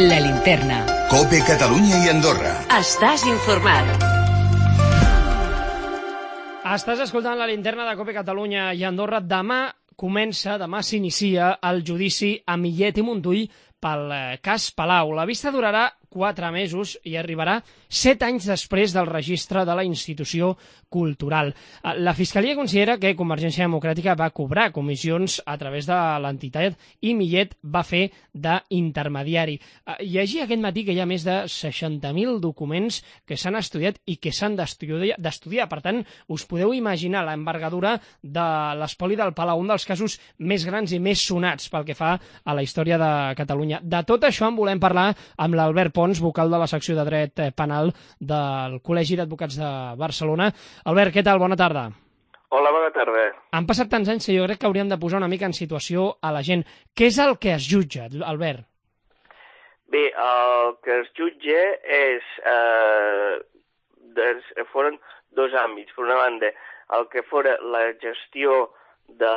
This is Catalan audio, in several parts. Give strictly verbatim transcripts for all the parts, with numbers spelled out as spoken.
La Linterna. COPE Catalunya i Andorra. Estàs informat. Estàs escoltant La Linterna de COPE Catalunya i Andorra. Demà comença, demà s'inicia el judici a Millet i Montull pel cas Palau. La vista durarà quatre mesos i arribarà set anys després del registre de la institució cultural. La Fiscalia considera que Convergència Democràtica va cobrar comissions a través de l'entitat i Millet va fer d'intermediari. Llegir aquest matí que hi ha més de seixanta mil documents que s'han estudiat i que s'han d'estudiar. Per tant, us podeu imaginar l'envergadura de l'espoli del Palau, un dels casos més grans i més sonats pel que fa a la història de Catalunya. De tot això en volem parlar amb l'Albert Pons, vocal de la secció de dret penal del Col·legi d'Advocats de Barcelona. Albert, què tal? Bona tarda. Hola, bona tarda. Han passat tants anys que jo crec que hauríem de posar una mica en situació a la gent. Què és el que es jutja, Albert? Bé, el que es jutja és... Eh, des, foren dos àmbits. Per una banda, el que fora la gestió de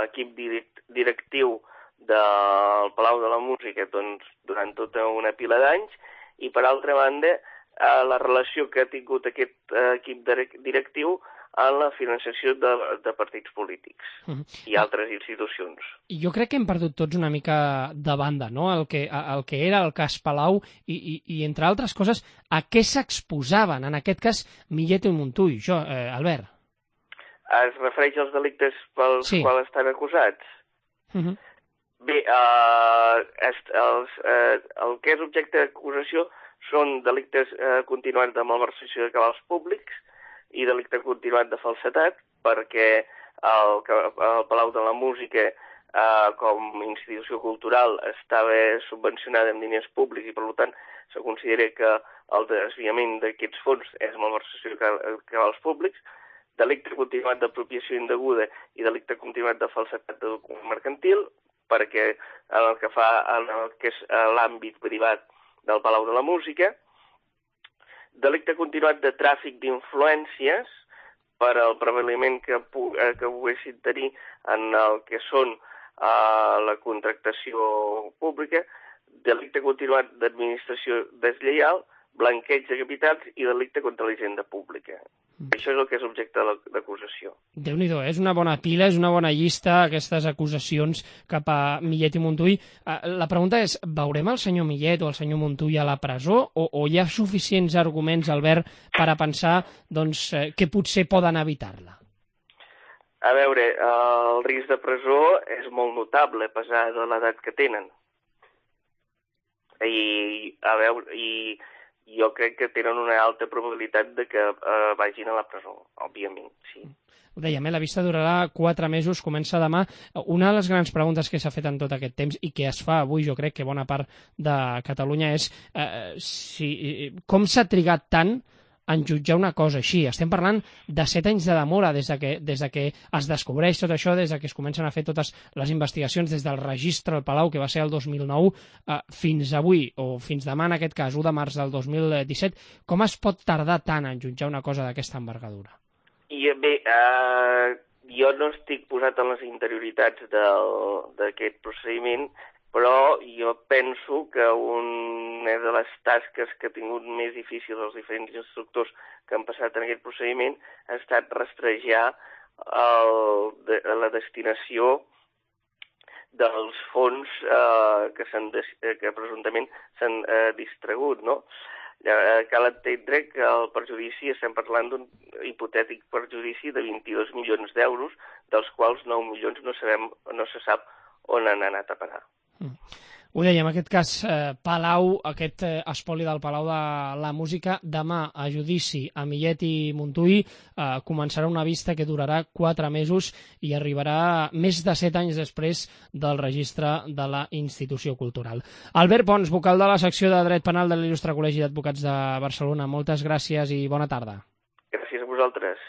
l'equip directiu del Palau de la Música doncs, durant tota una pila d'anys, i per altra banda eh, la relació que ha tingut aquest eh, equip directiu en la financiació de, de partits polítics uh-huh. i altres institucions. Jo crec que hem perdut tots una mica de banda, no?, el que, el que era el cas Palau i, i, i entre altres coses, a què s'exposaven, en aquest cas, Millet i Montull. Jo, eh, Albert. Es refereix als delictes pels sí. quals estan acusats? Uh-huh. Bé, eh, est, els, eh, el que és objecte d'acusació són delictes eh, continuats de malversació de cabals públics i delicte continuat de falsetat, perquè el, el Palau de la Música, eh, com a institució cultural, estava subvencionada amb diners públics i, per tant, se considera que el desviament d'aquests fons és malversació de cabals públics, delicte continuat d'apropiació indeguda i delicte continuat de falsetat de document mercantil, perquè en el que fa en el que és l'àmbit privat del Palau de la Música, delicte continuat de tràfic d'influències per al prevaliment que, que poguessin tenir en el que són uh, la contractació pública, delicte continuat d'administració deslleial, blanqueig de capitals i delicte contra la hisenda pública. Mm. Això és el que és objecte d'acusació. Déu-n'hi-do, és una bona pila, és una bona llista, aquestes acusacions cap a Millet i Montull. La pregunta és, veurem el senyor Millet o el senyor Montull a la presó o, o hi ha suficients arguments, Albert, per a pensar doncs, que potser poden evitar-la? A veure, el risc de presó és molt notable, a pesar de l'edat que tenen. I, a veure, i jo crec que tenen una alta probabilitat de que eh, vagin a la presó, òbviament, sí. Ho dèiem, eh? La vista durarà quatre mesos, comença demà. Una de les grans preguntes que s'ha fet en tot aquest temps i que es fa avui, jo crec que bona part de Catalunya, és eh, si, com s'ha trigat tant en jutjar una cosa així. Estem parlant de set anys de demora des de que, des de que es descobreix tot això, des de que es comencen a fer totes les investigacions des del registre al Palau, que va ser el dos mil nou, eh, fins avui, o fins demà en aquest cas, u de març del dos mil disset. Com es pot tardar tant en jutjar una cosa d'aquesta envergadura? I bé, eh, jo no estic posat en les interioritats d'aquest procediment, però jo penso que una de les tasques que ha tingut més difícils els diferents instructors que han passat en aquest procediment ha estat rastrejar el, de, la destinació dels fons eh, que, que presumptament s'han eh, distragut, no? Eh, cal entendre que el perjudici, estem parlant d'un hipotètic perjudici de vint-i-dos milions d'euros, dels quals nou milions no, sabem, no se sap on han anat a parar. Mm. Ho dèiem, aquest cas eh, Palau, aquest eh, espoli del Palau de la Música, demà a judici a Millet i Montull, eh, començarà una vista que durarà quatre mesos i arribarà més de set anys després del registre de la institució cultural. Albert Pons, vocal de la secció de dret penal de l'Il·lustre Col·legi d'Advocats de Barcelona, moltes gràcies i bona tarda. Gràcies a vosaltres.